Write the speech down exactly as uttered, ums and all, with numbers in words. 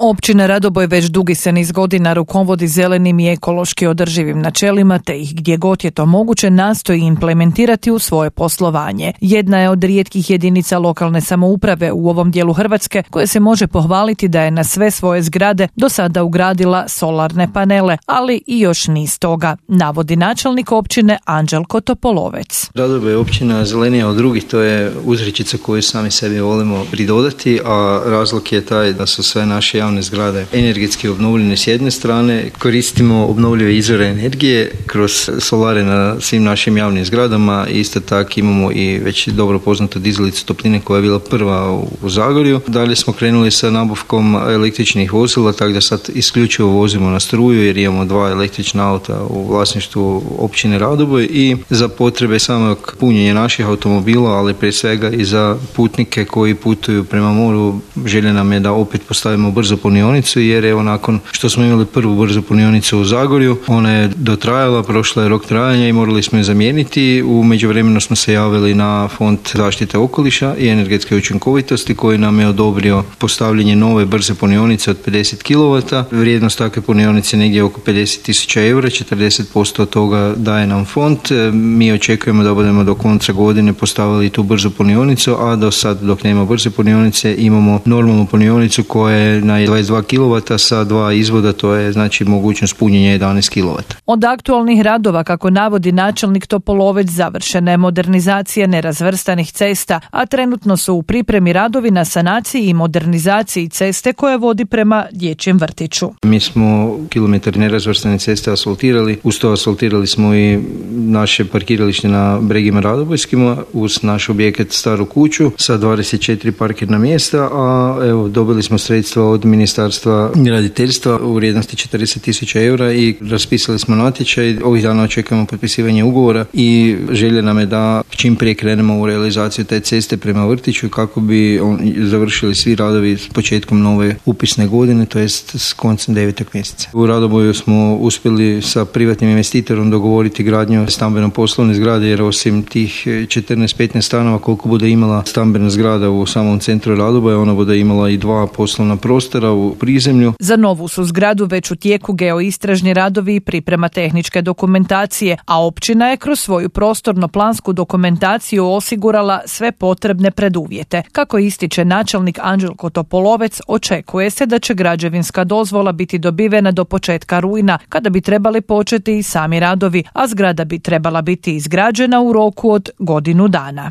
Općina Radoboj već dugi se niz godina rukovodi zelenim i ekološki održivim načelima, te ih gdje god je to moguće nastoji implementirati u svoje poslovanje. Jedna je od rijetkih jedinica lokalne samouprave u ovom dijelu Hrvatske koje se može pohvaliti da je na sve svoje zgrade do sada ugradila solarne panele, ali i još niz toga, navodi načelnik općine Anđelko Topolovec. Radoboj je općina zelenija od drugih, to je uzrečica koju sami sebi volimo pridodati, a razlog je taj da su sve naše javne zgrade energetski obnovljene s jedne strane, koristimo obnovljive izvore energije kroz solare na svim našim javnim zgradama, isto tako imamo i već dobro poznatu dizalicu topline koja je bila prva u Zagorju. Dalje smo krenuli sa nabavkom električnih vozila, tako da sad isključivo vozimo na struju jer imamo dva električna auta u vlasništvu općine Radoboj i za potrebe samog punjenja naših automobila, ali prije svega i za putnike koji putuju prema moru, želja nam je da opet postavimo brzo punionicu, jer evo nakon što smo imali prvu brzu punionicu u Zagorju, ona je dotrajala, prošla je rok trajanja i morali smo je zamijeniti. U međuvremenu smo se javili na Fond zaštite okoliša i energetske učinkovitosti koji nam je odobrio postavljanje nove brze punionice od pedeset kilovata. Vrijednost takve punionice je negdje oko pedeset tisuća eura, četrdeset posto od toga daje nam fond. Mi očekujemo da budemo do konca godine postavili tu brzu punionicu, a do sad dok nema brze punionice imamo normalnu punionicu koja je na dvadeset dva kilovata sa dva izvoda, to je znači mogućnost punjenja jedanaest kilovata. Od aktualnih radova, kako navodi načelnik Topolovec, završena je modernizacija nerazvrstanih cesta, a trenutno su u pripremi radovi na sanaciji i modernizaciji ceste koja vodi prema dječjem vrtiću. Mi smo kilometar nerazvrstane ceste asfaltirali, uz to asfaltirali smo i naše parkiralište na Bregima Radobojskima uz naš objekat Staru kuću sa dvadeset četiri parkirna mjesta, a evo dobili smo sredstva od Ministarstva graditeljstva u vrijednosti četrdeset tisuća eura i raspisali smo natječaj. Ovih dana očekujemo potpisivanje ugovora i želja nam je da čim prije krenemo u realizaciju te ceste prema vrtiću kako bi on, završili svi radovi s početkom nove upisne godine, to jest s koncem devetog mjeseca. U Radoboju smo uspjeli sa privatnim investitorom dogovoriti gradnju stambeno-poslovne zgrade, jer osim tih četrnaest petnaest stanova koliko bude imala stambena zgrada u samom centru Radoboja, ona bude imala i dva poslovna prostora u prizemlju. Za novu su zgradu već u tijeku geoistražni radovi i priprema tehničke dokumentacije, a općina je kroz svoju prostorno-plansku dokumentaciju osigurala sve potrebne preduvjete. Kako ističe načelnik Anđelko Topolovec, očekuje se da će građevinska dozvola biti dobivena do početka rujna, kada bi trebali početi i sami radovi, a zgrada bi trebala biti izgrađena u roku od godinu dana.